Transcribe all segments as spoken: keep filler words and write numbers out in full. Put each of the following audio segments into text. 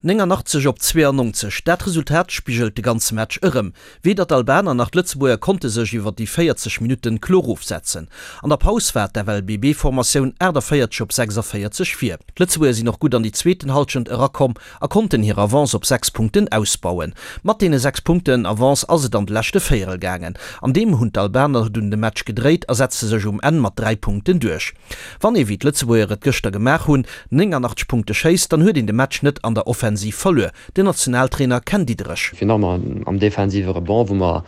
Néngannachtzeg op zweeannonzeg, dat Resultat spigelt de ganze Match erëm. Weder d'Albaner nach d'Lëtzebuerger konnte sech iwwer déi véierzeg Minutten kloer ofsetzen. An der Paus war d'F L B B-Formatioun aachtavéierzeg op sechsavéierzeg vir. D'Lëtzebuerger sinn och gutt an déi zweeten Hallschent erakomm a konnten hir Avance op sechs Punkten ausbauen. Mat deene sechs Punkten Avance ass et an de leschte Véierel gaangen. An deem hunn d'Albaner dunn de Match gedréit a setze sech um Enn mat dräi Punkten duerch. Wann ee wéi d'Lëtzebuerger et gëschter gemaach hunn, néngannachtzeg Punkte schéisst, dann huet een de Match net an der Offensiv verluer. Den Nationaltrainer Ken Diederich. Fir nach am defensive Rebond, wou mer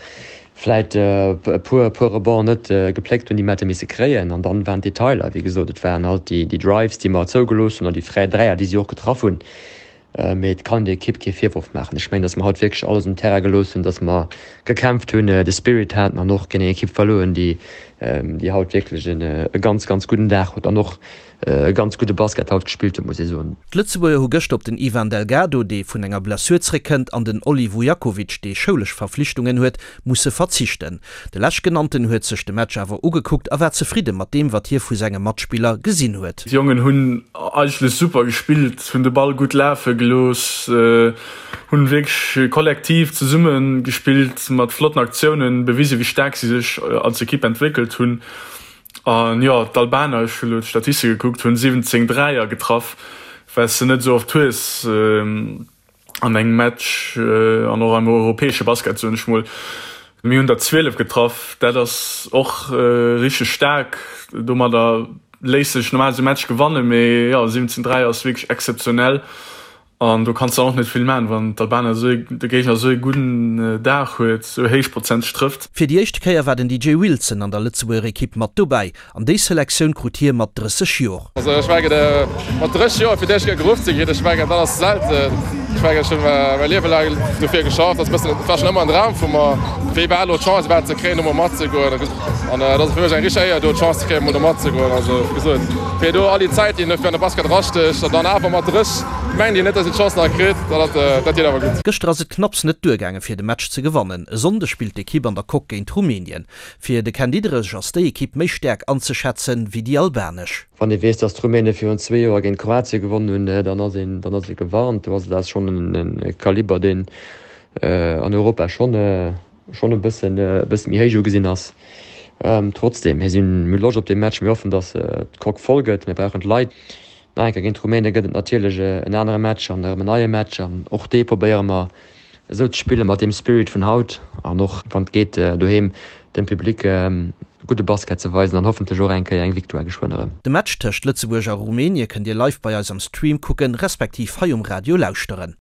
vläit e puer puer Rebond net gepléckt hunn, déi mer hätte misse kréien, an dann waren d'Detailer, wéi gesot, et waren halt déi déi Drives, déi mer zougelooss hunn, an déi fräi Dräier, déi si och getraff hunn. Mee et kann der Ekipp kee Virworf maachen. Ech mengen, datt mer haut wierklech alles um Terrain gelooss hunn, datt mer gekämpft hunn, de Spirit haten an och géint eng Ekipp verluer hunn, déi déi haut wierklech e ganz ganz gudden Dag huet an och e ganz gudde Basket haut gespillt huet, muss ee soen. D'Lëtzebuerger hu gëschter op den Ivan Delgado, dee vun enger Blessur zréckkënnt, an den Olli Vujakovic, dee schoulesch Verflichtungen huet, musse verzichten. De Leschtgenannten huet sech de Match awer ugekuckt a war zefridde mat deem, wat hie vu senge Matspiller gesinn huet. D'Jongen hunn eigentlech super gespillt, hunn de Ball gutt lafe gelooss, hunn wierklech kollektiv zesumme gespillt, mat flotten Aktiounen bewisen, wéi staark si sech als Ekipp entwéckelt hunn. An jo, d'Albaner, ech hunn elo d'Statistike gekuckt, hunn siwwenzéng Dräier getraff, wat s de net esou oft hues an engem Match an och am europäesche Basket, soen ech mol. Mir hunn der zwielef getraff, dat ass och richteg staark. Domadder léisst sech normal esou e Match gewannen, mee jo, siwwenzéng Dräier ass wierklech exzeptionell. An do kanns de och net vill man, wann d'Albaner esou de Géigner esou e gudden Dag huet, esou héich Prozent trëfft. Fir déi éischt Kéier war den D J Wilson an der Lëtzebuerger Ekipp mat dobäi. An déi Selektioun krut hie mat drësseg Joer. Also ech mengen, mat drësseg Joer fir d'éischt Kéier geruff ze ginn, ech mengen, dat ass selten. Ech mengen, ech hunn mäi Liewe laang dofir geschafft. Dat ass e bëssen, et war schonn ëmmer en Dram vu mer, fir iwwerhaapt elo d'Chance iwwerhaapt ze kréien, do mol matzegoen. An et ass fir mech eng richteg Éier, do d'Chance ze kréien, mol do matzegoen. Also wéi gesot, fir do all déi Zäit, déi een dofir an de Basket erastécht, an dann awer mat drësseg mengt een net, dass een d'Chance nach kritt, dat dat geet awer gutt. Gëschter ass et knapps net duergaange fir de Match ze gewannen. E Sonndeg spillt d'Ekipp an der Coque géint Rumänien. Fir de Ken Diederich ass déi Ekipp méi staark anzeschätzen wéi déi albanesch. Wann ee weess, datt d'Rumäne virun zwee Joer géint Kroatie gewonnen hunn, dann ass een dann ass ee gewarnt. Do ass dat schonn e Kaliber, deen an Europa schonn schonn e bëssen e bësse méi héich ugesinn ass. Trotzdeem, mir sinn mir hu Loscht op dee Match, mir hoffen, datt d'Coque voll gëtt. Mir brauchen d'Leit. Nach eng Kéier géint d'Rumäne gëtt et natierlech en anere Match an erëm en neie Match an och dee probéiere mer esou ze spille mat deem Spirit vun haut an och wann et geet doheem dem Public gudde Basket ze weisen an hoffentlech och eng Kéier eng Victoire geschwënn erëm. De Match tëscht Lëtzebuerg a Rumänie kënnt Dir live bei eis am Stream kucken, respektiv hei um Radio lauschteren.